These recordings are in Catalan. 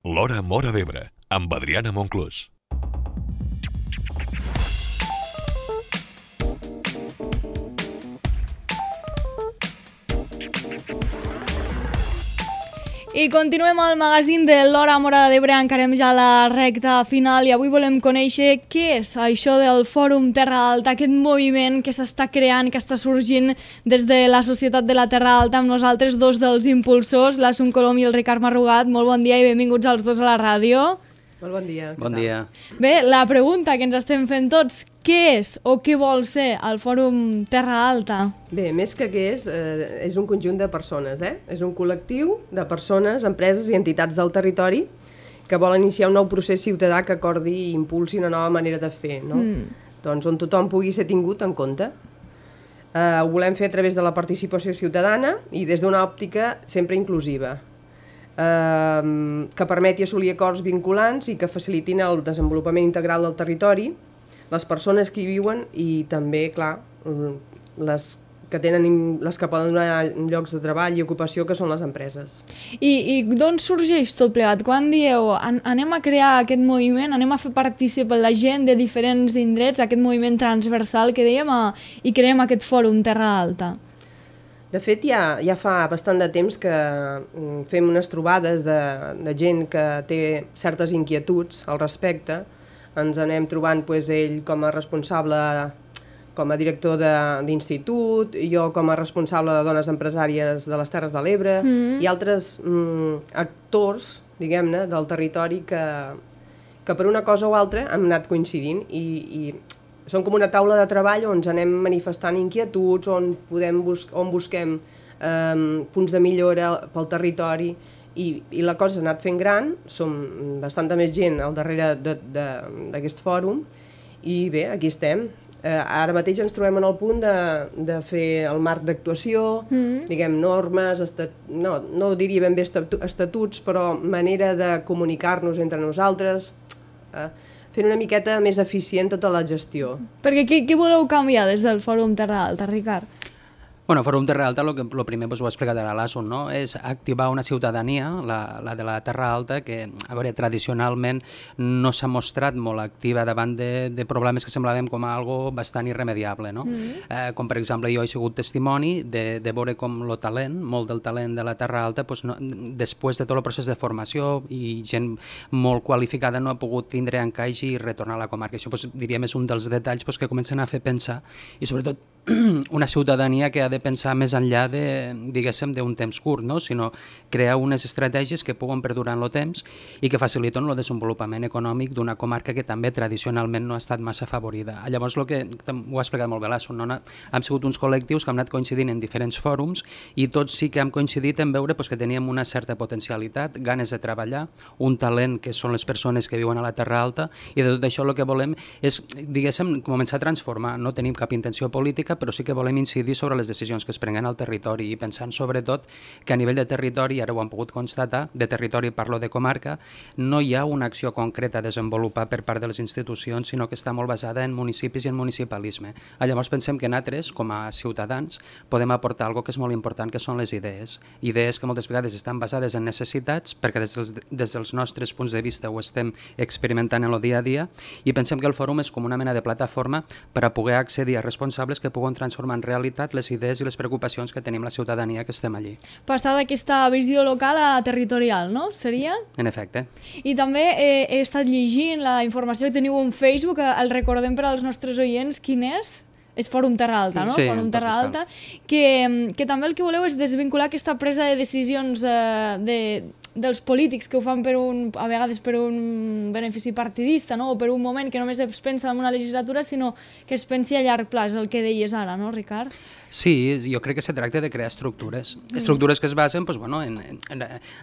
L'Hora Móra d'Ebre, amb Adriana Monclús. I continuem al magazín de l'Hora Móra d'Ebre, encarem ja la recta final i avui volem conèixer què és això del Fòrum Terra Alta, aquest moviment que s'està creant, que està sorgint des de la Societat de la Terra Alta, amb nosaltres dos dels impulsors, l'Assumpta Colom i el Ricard Marrugat. Molt bon dia i benvinguts els dos a la ràdio. Molt bon dia. Bon dia. Bé, la pregunta que ens estem fent tots, què és o què vol ser el Fòrum Terra Alta? Bé, més que què és un conjunt de persones, És un col·lectiu de persones, empreses i entitats del territori que volen iniciar un nou procés ciutadà que acordi i impulsi una nova manera de fer, no? Doncs on tothom pugui ser tingut en compte. Ho volem fer a través de la participació ciutadana i des d'una òptica sempre inclusiva, que permeti assolir acords vinculants i que facilitin el desenvolupament integral del territori, les persones que hi viuen i també, clar, les que poden donar llocs de treball i ocupació, que són les empreses. I d'on sorgeix tot plegat? Quan dieu anem a crear aquest moviment, anem a fer participar la gent de diferents indrets, aquest moviment transversal que dèiem, i creem aquest Fòrum Terra Alta? De fet, ja fa bastant de temps que fem unes trobades de gent que té certes inquietuds al respecte. Ens anem trobant ell com a responsable, com a director d'institut, jo com a responsable de dones empresàries de les Terres de l'Ebre, i altres actors, diguem-ne, del territori que per una cosa o altra hem anat coincidint i són com una taula de treball on ens anem manifestant inquietuds, on busquem punts de millora pel territori i la cosa s'ha anat fent gran, som bastanta més gent al darrere d'aquest fòrum i bé, aquí estem. Ara mateix ens trobem en el punt de fer el marc d'actuació, diguem, normes, no diria ben bé estatuts, però manera de comunicar-nos entre nosaltres, fent una miqueta més eficient tota la gestió. Perquè què voleu canviar des del Fòrum Terra Alta, Ricard? Bueno, Fòrum Terra Alta, el primer ho ha explicat ara l'Assun, no? És activar una ciutadania, la de la Terra Alta, que a veure, tradicionalment no s'ha mostrat molt activa davant de problemes que semblaven com a algo bastant irremediable, no? Com per exemple, jo he sigut testimoni de veure com el talent, molt del talent de la Terra Alta, després de tot el procés de formació i gent molt qualificada no ha pogut tindre encaix i retornar a la comarca. Això diríem és un dels detalls que comencen a fer pensar i sobretot una ciutadania que ha de pensar més enllà diguéssim, d'un temps curt, no? Sinó crear unes estratègies que puguen perdurar en el temps i que faciliten el desenvolupament econòmic d'una comarca que també tradicionalment no ha estat massa afavorida. Llavors, ho ha explicat molt bé l'Assun, no? Hem sigut uns col·lectius que hem anat coincidint en diferents fòrums i tots sí que hem coincidit en veure que teníem una certa potencialitat, ganes de treballar, un talent que són les persones que viuen a la Terra Alta i de tot això el que volem és, diguéssim, començar a transformar. No tenim cap intenció política, però sí que volem incidir sobre les decisions que es prenguen al territori i pensant sobretot que a nivell de territori, ara ho han pogut constatar, de territori parlo de comarca, no hi ha una acció concreta a desenvolupar per part de les institucions, sinó que està molt basada en municipis i en municipalisme. Llavors pensem que nosaltres, com a ciutadans, podem aportar alguna que és molt important, que són les idees. Idees que moltes vegades estan basades en necessitats, perquè des dels nostres punts de vista ho estem experimentant en el dia a dia, i pensem que el fòrum és com una mena de plataforma per a poder accedir a responsables que puguen transformar en realitat les idees i les preocupacions que tenim la ciutadania que estem allí. Passar d'aquesta visió local a territorial, no? Seria? En efecte. I també he estat llegint la informació que teniu en Facebook, el recordem per als nostres oients, quin és? És Fòrum Terra Alta, no? Sí, Fòrum Terra Alta, que també el que voleu és desvincular aquesta presa de decisions dels polítics que ho fan a vegades per un benefici partidista, no? O per un moment que només es pensa en una legislatura, sinó que es pensi a llarg plaç, el que deies ara, no, Ricard? Sí, jo crec que se tracta de crear estructures que es basen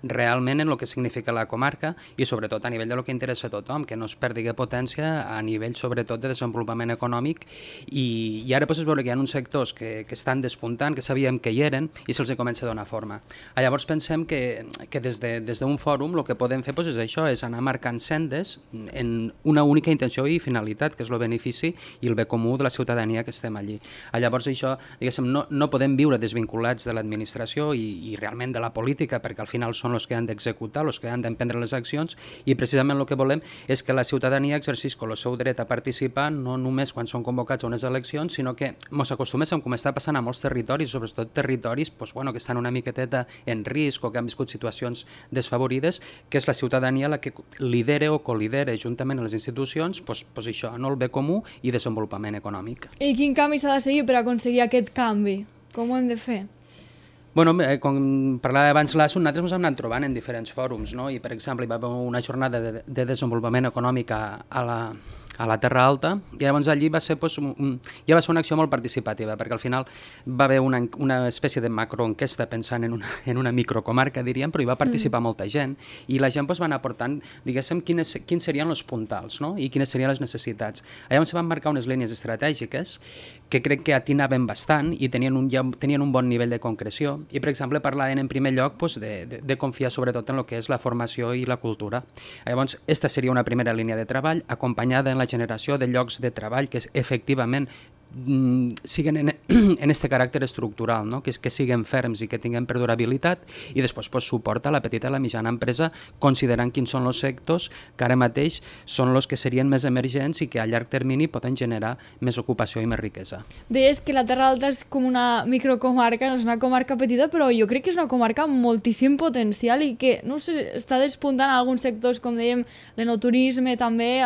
realment en el que significa la comarca i sobretot a nivell de lo que interessa a tothom, que no es perdi potència a nivell sobretot de desenvolupament econòmic i ara es veu que hi ha uns sectors que estan despuntant, que sabíem que hi eren i se'ls comença a donar forma. Llavors pensem que des des d'un fòrum el que podem fer és això, és anar marcant sendes en una única intenció i finalitat, que és el benefici i el bé comú de la ciutadania que estem allí. Llavors això, diguéssim, no podem viure desvinculats de l'administració i realment de la política, perquè al final són els que han d'executar, els que han d'emprendre les accions, i precisament el que volem és que la ciutadania exercisca el seu dret a participar no només quan són convocats a unes eleccions, sinó que ens acostuméssim, com està passant a molts territoris, sobretot territoris que estan una miqueteta en risc o que han viscut situacions desfavorides, que és la ciutadania la que lidera o colidera juntament amb les institucions això, no, el bé comú i desenvolupament econòmic. I quin camí s'ha de seguir per aconseguir aquest canvi? Com ho hem de fer? Bueno, com parlava abans l'ASO, nosaltres ens hem anat trobant en diferents fòrums, no? I per exemple hi va haver una jornada de desenvolupament econòmic a la Terra Alta, i llavors allí va ser, ja va ser una acció molt participativa, perquè al final va haver una espècie de macroenquesta pensant en una microcomarca, diríem, però hi va participar molta gent, i la gent va anar aportant, diguéssim, quins serien els puntals, no? I quines serien les necessitats. Llavors se van marcar unes línies estratègiques que crec que atinaven bastant i tenien un bon nivell de concreció, i per exemple parlaven en primer lloc de confiar sobretot en el que és la formació i la cultura. Llavors, aquesta seria una primera línia de treball, acompanyada en la generació de llocs de treball que efectivament siguen en este caràcter estructural, no? que siguen ferms i que tinguin perdurabilitat, i després suporta la petita i la mitjana empresa considerant quins són els sectors que ara mateix són els que serien més emergents i que a llarg termini poden generar més ocupació i més riquesa. Deies que la Terra Alta és com una microcomarca, no és una comarca petita, però jo crec que és una comarca amb moltíssim potencial i que, no sé, està despuntant en alguns sectors, com dèiem, l'enoturisme també,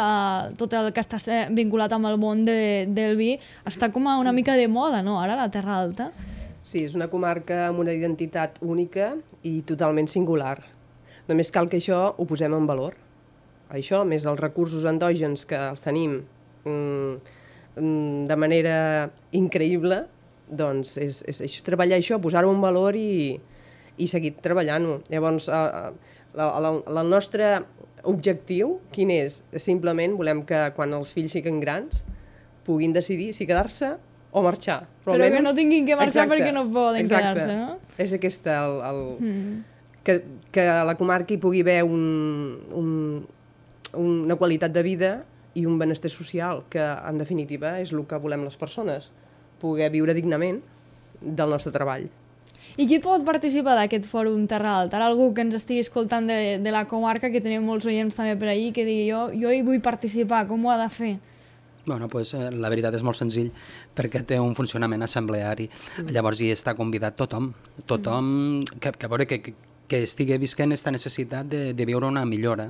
tot el que està vinculat amb el món del vi, està com a una mica de moda, no?, ara, la Terra Alta. Sí, és una comarca amb una identitat única i totalment singular. Només cal que això ho posem en valor. Això, més els recursos endògens que els tenim de manera increïble, doncs és treballar això, posar-ho en valor i seguir treballant-ho. Llavors, el nostre objectiu, quin és? Simplement volem que quan els fills siguin grans puguin decidir si quedar-se o marxar. Però que no tinguin que marxar perquè no poden quedar-se, no? És aquesta, que a la comarca hi pugui haver una qualitat de vida i un benestar social, que en definitiva és el que volem les persones, poder viure dignament del nostre treball. I qui pot participar d'aquest fòrum Terra Alta? Ara algú que ens estigui escoltant de la comarca, que tenim molts oients també per ahí, que digui jo hi vull participar, com ho ha de fer? Bueno, pues, la veritat és molt senzill perquè té un funcionament assembleari. Llavors hi està convidat tothom que veure que estigui visquent aquesta necessitat de viure una millora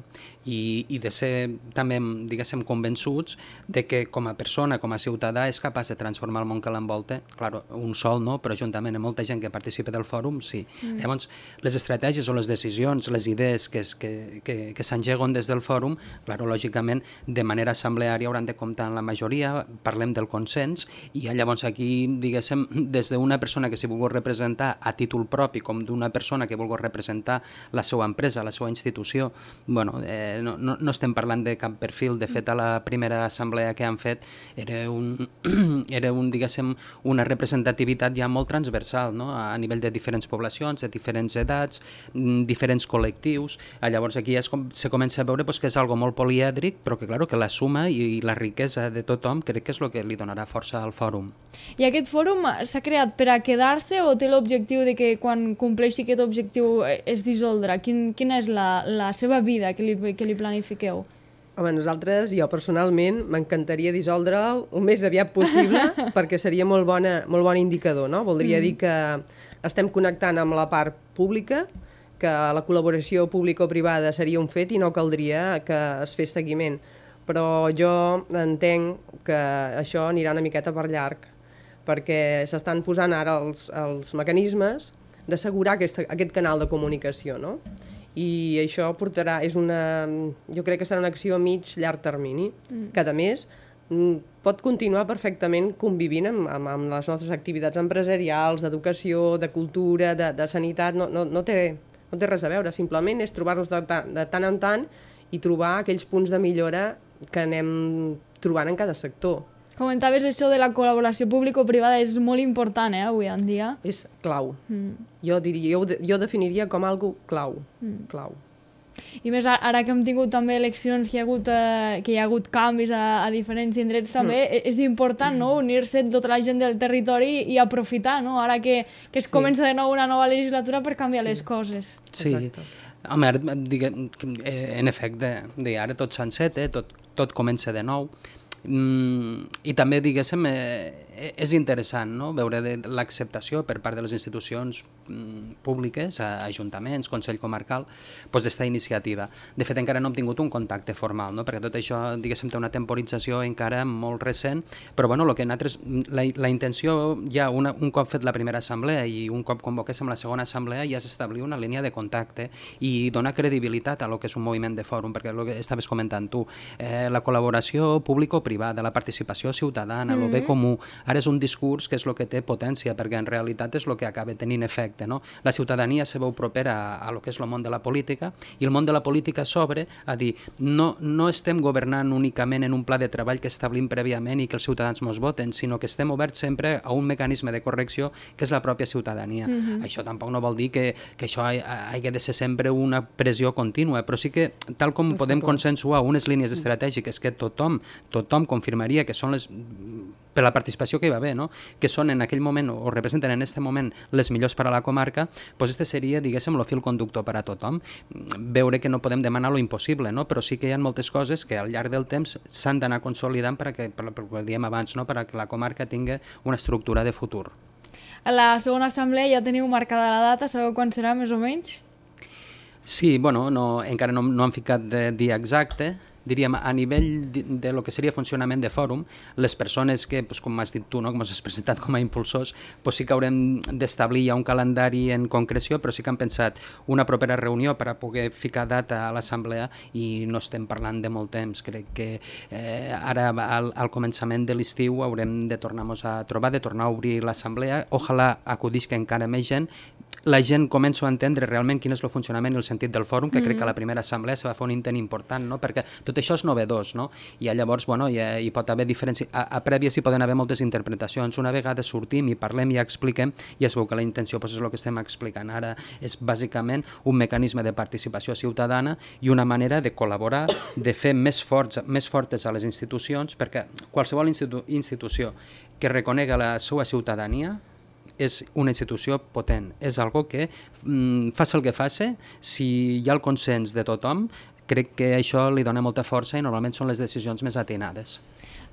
i de ser també, diguéssim, convençuts de que com a persona, com a ciutadà, és capaç de transformar el món que l'envolta. Clar, un sol no, però juntament amb molta gent que participa del fòrum, sí. Llavors, les estratègies o les decisions, les idees que s'engeguen des del fòrum, clar, lògicament, de manera assembleària hauran de comptar en la majoria, parlem del consens, i llavors aquí, diguéssim, des d'una persona que s'hi vulgui representar a títol propi, com d'una persona que vulgui representar la seva empresa, la seva institució, bueno, no estem parlant de cap perfil. De fet, a la primera assemblea que han fet era diguéssim, una representativitat ja molt transversal, no? A nivell de diferents poblacions, de diferents edats, diferents col·lectius. Llavors aquí se comença a veure que és algo molt polièdric, però que, clar, que la suma i la riquesa de tothom crec que és el que li donarà força al fòrum. I aquest fòrum s'ha creat per a quedar-se o té l'objectiu de que quan compleixi aquest objectiu és dissoldre? Quina és la seva vida que li planifiqueu? Home, nosaltres, jo personalment, m'encantaria dissoldre'l el més aviat possible perquè seria molt bon indicador, no? Voldria dir que estem connectant amb la part pública, que la col·laboració pública o privada seria un fet i no caldria que es fes seguiment. Però jo entenc que això anirà una miqueta per llarg, perquè s'estan posant ara els mecanismes d'assegurar aquest canal de comunicació, no? I això portarà, jo crec que serà una acció a mig-llarg termini, que a més pot continuar perfectament convivint amb les nostres activitats empresarials, d'educació, de cultura, de sanitat, no té res a veure, simplement és trobar-nos de tant en tant i trobar aquells punts de millora que anem trobant en cada sector. Comentaves això de la col·laboració público-privada, és molt important, avui en dia. És clau. Jo definiria com algo clau. Clau. I més ara que hem tingut també eleccions, que hi ha hagut canvis a diferents indrets també, és important, no?, unir-se tota la gent del territori i aprofitar, no?, ara que es comença de nou una nova legislatura per canviar les coses. Sí, home, ara, en efecte, ara tot s'enceta, tot comença de nou, i també, diguéssim, és interessant, no?, veure l'acceptació per part de les institucions públiques, ajuntaments, Consell Comarcal, d'esta iniciativa. De fet, encara no hem tingut un contacte formal, no?, perquè tot això, diguéssim, té una temporització encara molt recent, però bueno, la intenció ja un cop fet la primera assemblea i un cop convoquéssim la segona assemblea ja és establir una línia de contacte i donar credibilitat a lo que és un moviment de fòrum, perquè el que estaves comentant tu, la col·laboració público-privada, la participació ciutadana, el bé comú, ara és un discurs que és el que té potència, perquè en realitat és el que acaba tenint efecte, no? La ciutadania se veu propera a lo que és el món de la política i el món de la política s'obre a dir no estem governant únicament en un pla de treball que establim prèviament i que els ciutadans mos voten, sinó que estem oberts sempre a un mecanisme de correcció que és la pròpia ciutadania. Això tampoc no vol dir que això hagi de ser sempre una pressió contínua, però sí que tal com podem consensuar unes línies estratègiques que tothom confirmaria que són per la participació que hi va haver, no?, que són en aquell moment o representen en aquest moment les millors per a la comarca, doncs este seria, diguéssim, el fil conductor per a tothom. Veure que no podem demanar lo impossible, no?, però sí que hi ha moltes coses que al llarg del temps s'han d'anar consolidant per que diem abans, no?, per que la comarca tingui una estructura de futur. A la segona assemblea ja teniu marcada la data, sabeu quan serà més o menys? Sí, bueno, encara no han ficat de dia exacte. Diríem, a nivell de lo que seria funcionament de fòrum, les persones que, com has dit tu, com has presentat com a impulsors, sí que haurem d'establir ja un calendari en concreció, però sí que han pensat una propera reunió per a poder ficar data a l'assemblea i no estem parlant de molt temps. Crec que ara al començament de l'estiu haurem de tornar-nos a trobar, de tornar a obrir l'assemblea. Ojalà acudisca encara més gent, la gent comença a entendre realment quin és el funcionament i el sentit del fòrum, que crec que a la primera assemblea se va fer un intent important, no?, perquè tot això és novedós, no?, i llavors hi pot haver diferències, a prèvies hi poden haver moltes interpretacions. Una vegada sortim i parlem i expliquem, ja es veu que la intenció és el que estem explicant ara, és bàsicament un mecanisme de participació ciutadana i una manera de col·laborar, de fer més fortes a les institucions, perquè qualsevol institució que reconega la seva ciutadania és una institució potent, és algo que faci el que faci, si hi ha el consens de tothom, crec que això li dona molta força i normalment són les decisions més atinades.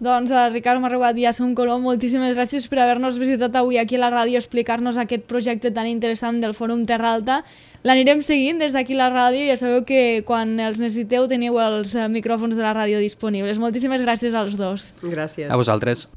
Doncs Ricard Marrugat i Assumpta Colom, moltíssimes gràcies per haver-nos visitat avui aquí a la ràdio, explicar-nos aquest projecte tan interessant del Fòrum Terra Alta. L'anirem seguint des d'aquí a la ràdio i ja sabeu que quan els necessiteu teniu els micròfons de la ràdio disponibles. Moltíssimes gràcies als dos. Gràcies. A vosaltres.